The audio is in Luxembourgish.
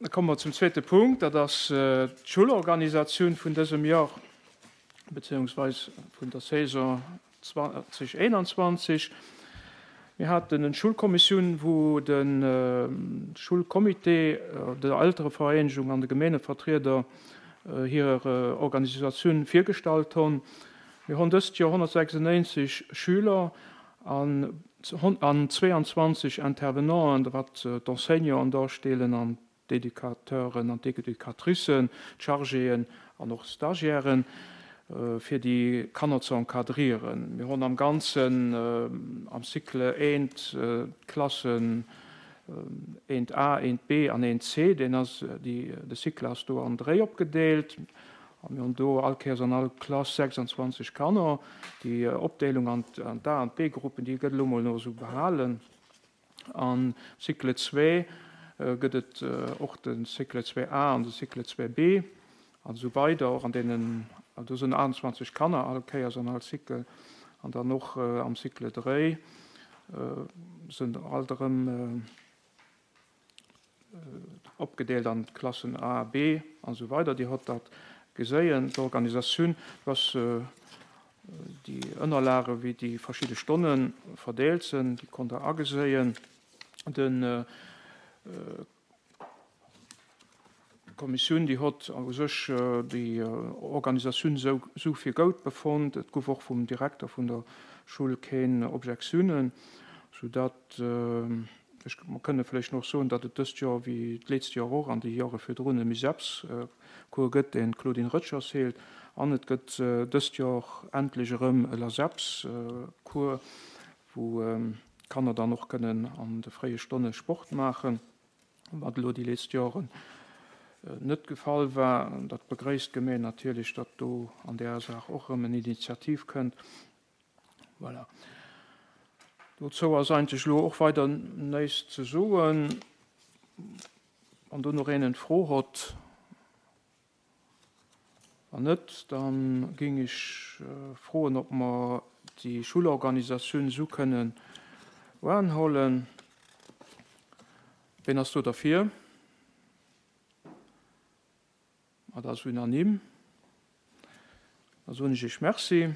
Da komme mer zum zweete Punkt, dat ass d'Schullorganisatioun vun dësem Joer, beziehungsweis vun der Saison 2021. Mir haten en Schulkommissioun, wou de Schulcomité, der Elterevereenegung an de Gemeengevertrieder hir Organisatioun virgestallt honn. Mir honn dëst Joer 196 Schüler an 22 Intervenanten, wat d'Enseignanten darstellen an d'Educateuren an d'Educatricen, d'Chargéen an och d'Stagiairen, fir déi Kanner ze encadrieren. Mir hunn am Ganzen am Cycle eent d'Klassen eent A, eent B an eent C. Deen ass, déi, de Cycle ass do an dréi opgedeelt. A mir hunn do all Kéiers an all Klass 26 Kanner. Déi Opdeelung an d'A an d'B-Gruppen, déi gëtt elo mol nach esou behalen. Am Cycle 2 gëtt et och de Cycle 2A an de Cycle 2B an esou weider. Och an deenen, do sinn 28 Kanner all Kéiers an all Cycle. An dann och am Cycle 3 sinn alt erëm Opgedeelt an d'Klassen A, B an esou weider. Dir hott dat geséien. D'Organisatioun, do ass déi Ënnerlage wéi déi verschidde Stonne verdeelt sinn, déi konnt der ageséien. Den D'Kommissioun, déi hott u sech déi Organisatioun esou fir goud befonnt. Et guff och vum Direkter vun der Schull keen Objektiounen, soudatt ech, mer kënne vläicht nach soen, datt et dëst Joer wéi d'leetzt Joer och an déi Jore virdrun e Miseps-Cours gëtt, deen d'Claudine Röttgers heelt, an et gëtt dëst Joer endlech erëm e Laseps-Cours, wou d'Kanner dann och kënnen an de fréie Stonne Sport maachen. Wat elo déi letzt Joren net gefall war. Dat begréisst d'Gemeng natierlech, datt do an där Saach och erëm en Initiativ kënnt. Voilà. Dozou ass eigentlech elo och weider näischt ze soen. Wann do nach een eng Fro hott. Wann net, da géing ech froen, ob mer déi Schulorganisatioun esou kënnen uanhollen. Ween ass do derfir? Dat ass unanime. Da soen ech Iech Merci.